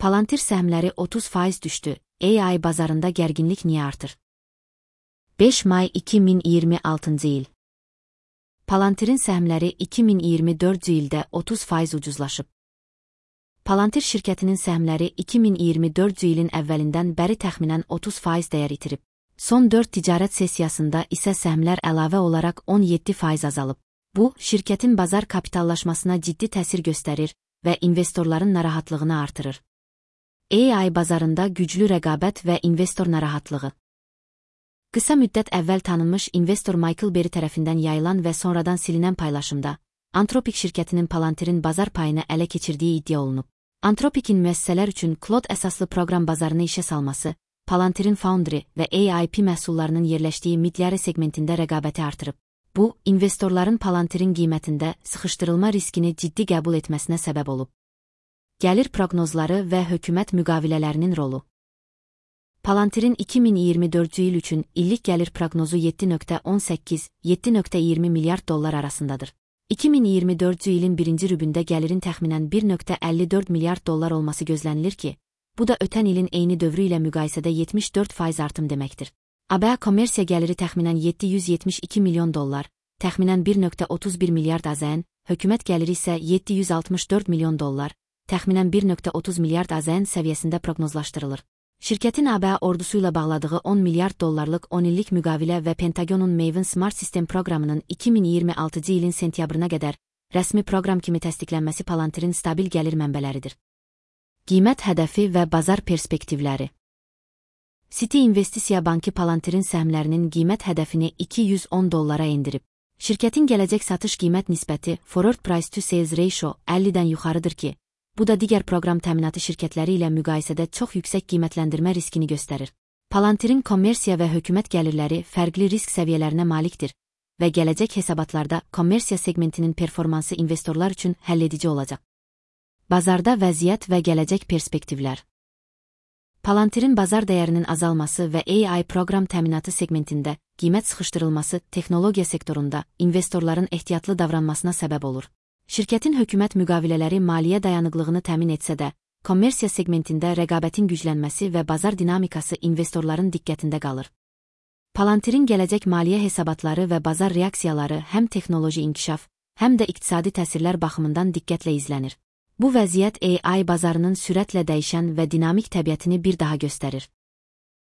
Palantir səhmləri 30% düşdü. AI bazarında gərginlik niyə artır? 5 may 2026 il. Palantirin səhmləri 2024 ildə 30% ucuzlaşıb. Palantir şirkətinin səhmləri 2024 ilin əvvəlindən bəri təxminən 30% dəyər itirib. Son 4 ticarət sessiyasında isə səhmlər əlavə olaraq 17% azalıb. Bu, şirkətin bazar kapitallaşmasına ciddi təsir göstərir və investorların narahatlığını artırır. AI bazarında güclü rəqabət və investor narahatlığı. Qısa müddət əvvəl tanınmış investor Michael Berry tərəfindən yayılan və sonradan silinən paylaşımda, Anthropic şirkətinin Palantirin bazar payını ələ keçirdiyi iddia olunub. Anthropic'in müəssisələr üçün Claude əsaslı proqram bazarını işə salması, Palantirin Foundry və AIP məhsullarının yerləşdiyi mid-yarı segmentində rəqabəti artırıb. Bu, investorların Palantirin qiymətində sıxışdırılma riskini ciddi qəbul etməsinə səbəb olub. Gəlir proqnozları və hökumət müqavilələrinin rolu. Palantirin 2024 il üçün illik gəlir proqnozu 7.18-7.20 milyard dollar arasındadır. 2024 ilin birinci rübündə gəlirin təxminən 1.54 milyard dollar olması gözlənilir ki, bu da ötən ilin eyni dövrü ilə müqayisədə 74% artım deməkdir. ABA kommersiya gəliri təxminən 772 milyon dollar, təxminən 1.31 milyard AZN, hökumət gəliri isə 764 milyon dollar, təxminən 1.30 milyard AZN səviyyəsində proqnozlaşdırılır. Şirkətin ABA ordusu ilə bağladığı 10 milyard dollarlıq 10 illik müqavilə və Pentagonun Maven Smart System proqramının 2026 ilin sentyabrına qədər rəsmi proqram kimi təsdiqlənməsi Palantirin stabil gəlir mənbələridir. Qiymət hədəfi və bazar perspektivləri. Citi İnvestisiya Bankı Palantirin səhmlərinin qiymət hədəfini 210 dollara endirib. Şirkətin gələcək satış qiymət nisbəti Forward Price to Sales Ratio 50-dən yuxarıdır ki, bu da digər proqram təminatı şirkətləri ilə müqayisədə çox yüksək qiymətləndirmə riskini göstərir. Palantirin kommersiya və hökumət gəlirləri fərqli risk səviyyələrinə malikdir və gələcək hesabatlarda kommersiya segmentinin performansı investorlar üçün həlledici olacaq. Bazarda vəziyyət və gələcək perspektivlər. Palantirin bazar dəyərinin azalması və AI proqram təminatı segmentində qiymət sıxışdırılması texnologiya sektorunda investorların ehtiyatlı davranmasına səbəb olur. Şirkətin hökumət müqavilələri maliyyə dayanıqlığını təmin etsə də, kommersiya segmentində rəqabətin güclənməsi və bazar dinamikası investorların diqqətində qalır. Palantirin gələcək maliyyə hesabatları və bazar reaksiyaları həm texnoloji inkişaf, həm də iqtisadi təsirlər baxımından diqqətlə izlənir. Bu vəziyyət AI bazarının sürətlə dəyişən və dinamik təbiətini bir daha göstərir.